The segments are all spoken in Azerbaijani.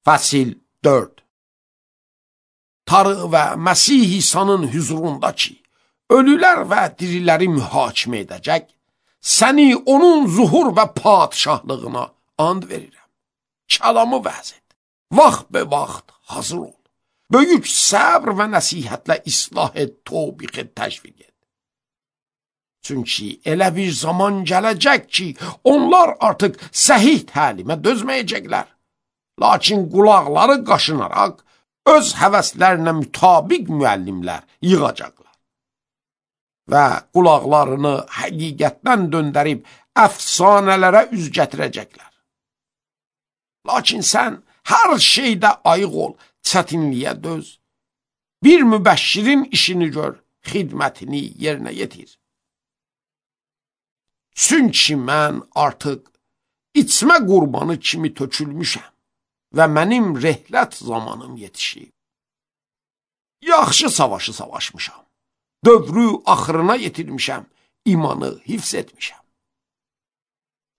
Fəsil 4. Tanrı və Məsih İsa'nın hüzurunda ki, ölülər və diriləri mühakimə edəcək, səni onun zuhur və padişahlığına and verirəm. Kəlamı vəz et. Vaxt be vaxt hazır ol. Böyük səbr və nəsihətlə islah et, tövbiq et, təşviq et. Çünki elə bir zaman gələcək ki, onlar artıq səhih təlimə dözməyəcəklər. Lakin qulaqları qaşınaraq, öz həvəslərinə mütabiq müəllimlər yığacaqlar. Və qulaqlarını həqiqətdən döndərib, əfsanələrə üz gətirəcəklər. Lakin sən hər şeydə ayıq ol, çətinliyə döz. Bir mübəşşirin işini gör, xidmətini yerinə yetir. Çünki mən artıq içmə qurbanı kimi tökülmüşəm və mənim rehlət zamanım yetişib. Yaxşı savaşı savaşmışam, dövrü axırına yetirmişəm, imanı hifz etmişəm.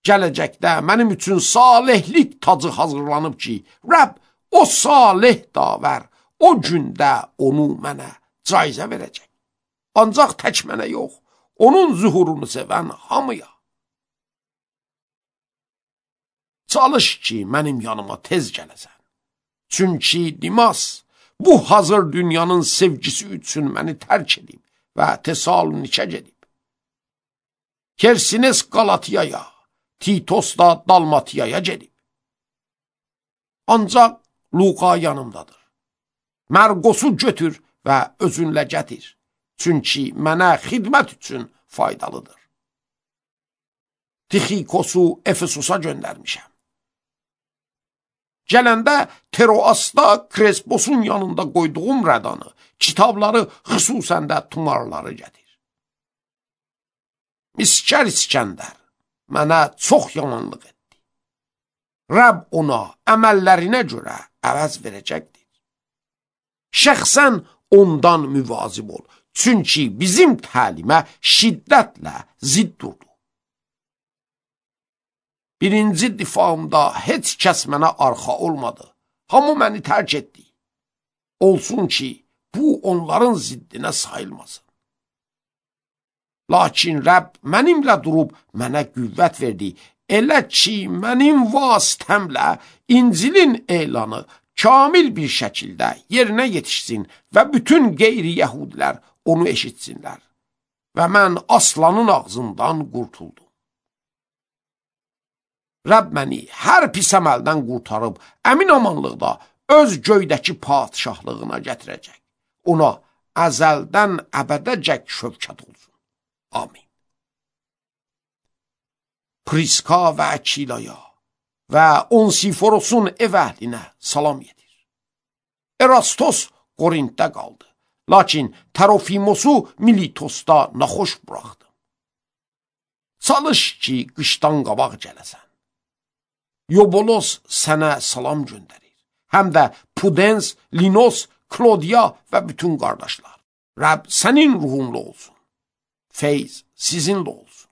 Gələcəkdə mənim üçün salihlik tacı hazırlanıb ki, Rəbb o salih davər, o gündə onu mənə caizə verəcək. Ancaq tək mənə yox, onun zuhurunu sevən hamıya. Çalış ki, mənim yanıma tez gələsən. Çünki Dimas bu hazır dünyanın sevgisi üçün məni tərk edib və Tesalonikə gedib. Kersines Galatiyaya, Titos da Dalmatiyaya gedib. Ancaq Luqa yanımdadır. Mərqosu götür və özünlə gətir. Çünki mənə xidmət üçün faydalıdır. Tixikosu Efesusa göndərmişəm. Gələndə Teroasda Kresposun yanında qoyduğum rədanı, kitabları, xüsusən də tumarları gətir. Miskər İskəndər mənə çox yamanlıq etdi. Rəbb ona əməllərinə görə əvəz verəcəkdir. Şəxsən ondan müvazib ol, çünki bizim təlimə şiddətlə zidd durdu. Birinci difamda heç kəs mənə arxa olmadı. Hamı məni tərk etdi. Olsun ki, bu onların ziddinə sayılmasın. Lakin Rəbb mənimlə durub mənə qüvvət verdi. Elə ki, mənim vasitəmlə İncilin elanı kamil bir şəkildə yerinə yetişsin və bütün qeyri-yəhudilər onu eşitsinlər. Və mən aslanın ağzından qurtuldum. Rəbb məni hər pis əməldən qurtarıb, əmin amanlıqda öz göydəki padişahlığına gətirəcək. Ona əzəldən əbədəcək şövkət olsun. Amin. Priska və Əkilaya və Onsiforosun ev əhlinə salam yedir. Erastos Qorintdə qaldı, lakin Tərofimosu Militosda naxoş buraxdı. Çalış ki, qışdan qabaq gələsən. Yobolos sənə salam göndərir. Həm də Pudens, Linos, Klodiya və bütün qardaşlar. Rəbb sənin ruhunla olsun. Feyz sizinlə olsun.